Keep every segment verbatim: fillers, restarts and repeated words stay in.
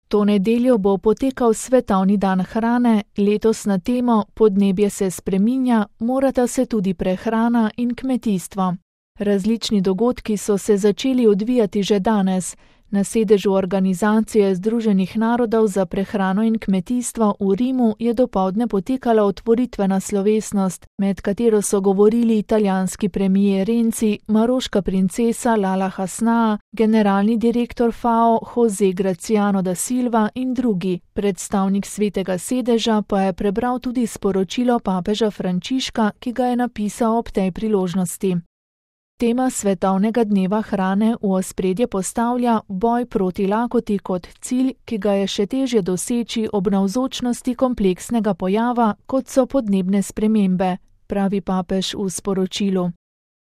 To nedeljo bo potekal Svetovni dan hrane, letos na temo Podnebje se spreminja, morata se tudi prehrana in kmetijstvo. Različni dogodki so se začeli odvijati že danes. Na sedežu Organizacije Združenih narodov za prehrano in kmetijstvo v Rimu je dopoldne potekala otvoritvena slovesnost, med katero so govorili italijanski premier Renzi, maroška princesa Lala Hasna, generalni direktor F A O José Graciano da Silva in drugi. Predstavnik Svetega sedeža pa je prebral tudi sporočilo papeža Frančiška, ki ga je napisal ob tej priložnosti. Tema Svetovnega dneva hrane v ospredje postavlja boj proti lakoti kot cilj, ki ga je še težje doseči ob navzočnosti kompleksnega pojava, kot so podnebne spremembe, pravi papež v sporočilu.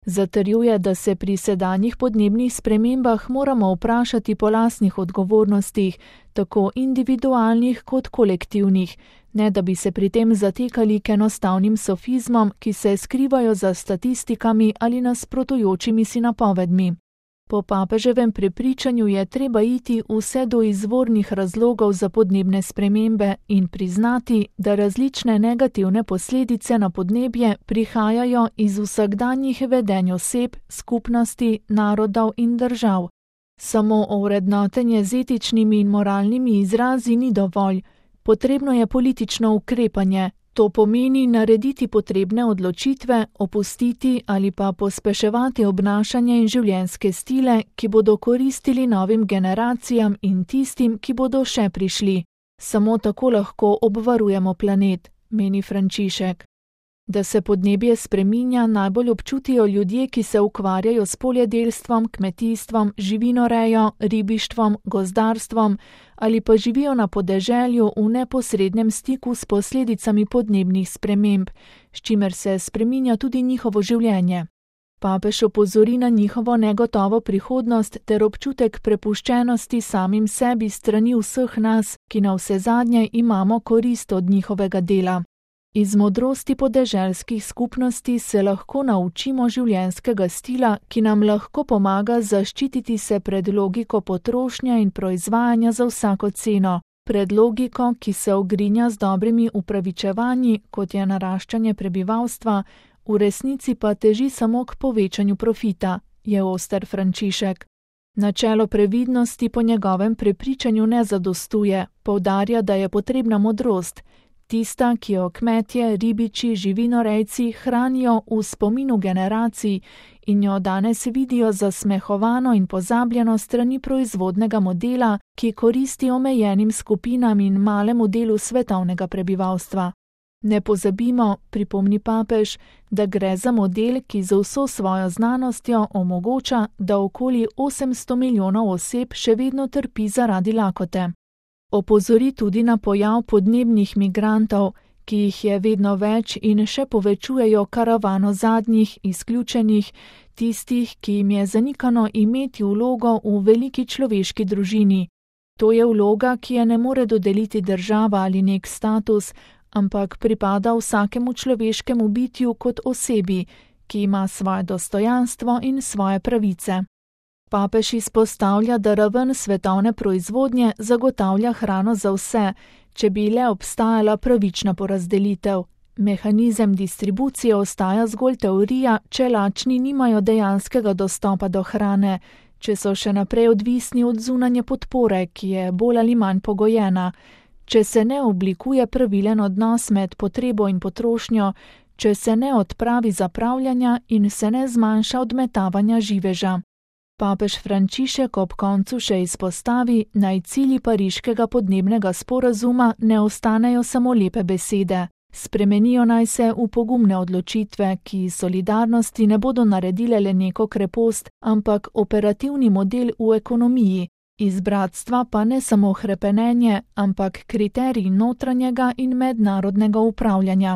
Zatrjuje, da se pri sedanjih podnebnih spremembah moramo vprašati po lastnih odgovornostih, tako individualnih kot kolektivnih, ne da bi se pri tem zatekali k enostavnim sofizmom, ki se skrivajo za statistikami ali nasprotujočimi si napovedmi. Po papeževem prepričanju je treba iti vse do izvornih razlogov za podnebne spremembe in priznati, da različne negativne posledice na podnebje prihajajo iz vsakdanjih vedenj oseb, skupnosti, narodov in držav. Samo ovrednotenje z etičnimi in moralnimi izrazi ni dovolj. Potrebno je politično ukrepanje, to pomeni narediti potrebne odločitve, opustiti ali pa pospeševati obnašanje in življenjske stile, ki bodo koristili novim generacijam in tistim, ki bodo še prišli. Samo tako lahko obvarujemo planet, meni Frančišek. Da se podnebje spreminja, najbolj občutijo ljudje, ki se ukvarjajo s poljedelstvom, kmetijstvom, živinorejo, ribištvom, gozdarstvom ali pa živijo na podeželju v neposrednem stiku s posledicami podnebnih sprememb, s čimer se spreminja tudi njihovo življenje. Papež opozori na njihovo negotovo prihodnost ter občutek prepuščenosti samim sebi strani vseh nas, ki navsezadnje imamo korist od njihovega dela. Iz modrosti podeželskih skupnosti se lahko naučimo življenjskega stila, ki nam lahko pomaga zaščititi se pred logiko potrošnje in proizvajanja za vsako ceno, pred logiko, ki se ogrinja z dobrimi upravičevanji, kot je naraščanje prebivalstva, v resnici pa teži samo k povečanju profita, je oster Frančišek. Načelo previdnosti po njegovem prepričanju ne zadostuje, poudarja, da je potrebna modrost, tista, ki jo kmetje, ribiči, živinorejci hranijo v spominu generacij in jo danes vidijo zasmehovano in pozabljeno strani proizvodnega modela, ki koristi omejenim skupinam in malemu delu svetovnega prebivalstva. Ne pozabimo, pripomni papež, da gre za model, ki z vso svojo znanostjo omogoča, da okoli osemsto milijonov oseb še vedno trpi zaradi lakote. Opozori tudi na pojav podnebnih migrantov, ki jih je vedno več in še povečujejo karavano zadnjih, izključenih, tistih, ki jim je zanikano imeti vlogo v veliki človeški družini. To je vloga, ki je ne more dodeliti država ali nek status, ampak pripada vsakemu človeškemu bitju kot osebi, ki ima svoje dostojanstvo in svoje pravice. Papež izpostavlja, da raven svetovne proizvodnje zagotavlja hrano za vse, če bi le obstajala pravična porazdelitev. Mehanizem distribucije ostaja zgolj teorija, če lačni nimajo dejanskega dostopa do hrane, če so še naprej odvisni od zunanje podpore, ki je bolj ali manj pogojena, če se ne oblikuje pravilen odnos med potrebo in potrošnjo, če se ne odpravi zapravljanja in se ne zmanjša odmetavanja živeža. Papež Frančišek ob koncu še izpostavi, naj cilji pariškega podnebnega sporazuma ne ostanejo samo lepe besede. Spremenijo naj se v pogumne odločitve, ki solidarnosti ne bodo naredile le neko krepost, ampak operativni model v ekonomiji, iz bratstva pa ne samo hrepenenje, ampak kriterij notranjega in mednarodnega upravljanja.